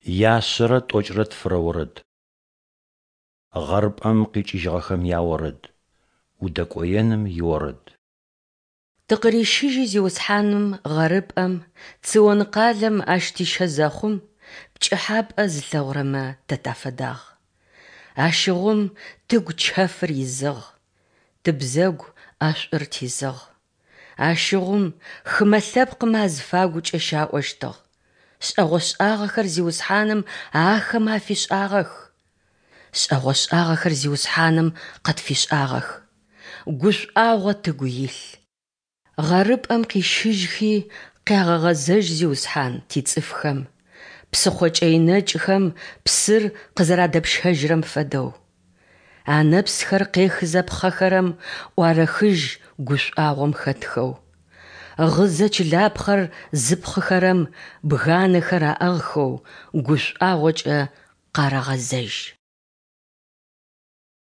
Яшъэрэ тӏокӏрэ тфырэ орэд. Гъэрыпӏэм къикӏыжьыгъэхэм яорэд. Удэкӏоеным иорэд. Тыкъырищыжьи Зиусхьаным гъэрыпӏэм, Цион къалэм Ащ тищэ зэхъум, Пкӏыхьапӏэ зылъэгъурэмэ тэ тафэдагъ. Ащыгъум тыгу чэфыр изыгъ, Тыбзэгу ӏэшӏур тизыгъ. Ащыгъум хымэ лъэпкъмэ азыфагукӏэ щаӏощтыгъ, Шӏэгъошӏагъэхэр Зиусхьаным ахэмэ афишӏагъэх. Шӏэгъошӏагъэхэр Зиусхьаным къытфишӏагъэх, Гушӏуагъо тыгу илъ. Гъэрыпӏэм къищыжьхи, къягъэгъэзэжь, Зиусхьан, тицӏыфхэм, Псыхъо кӏэй нэкӏхэм псыр къызэрадэпщэжьырэм фэдэу. Анэпсхэр къехызэ пхъэхэрэм ӏуарэхыжь гушӏуагъом хэтхэу. Гъызэ чылапхъэр зыпхъыхэрэм бганэхэр аӏыгъхэу гушӏуагъокӏэ къарэгъэзэжь.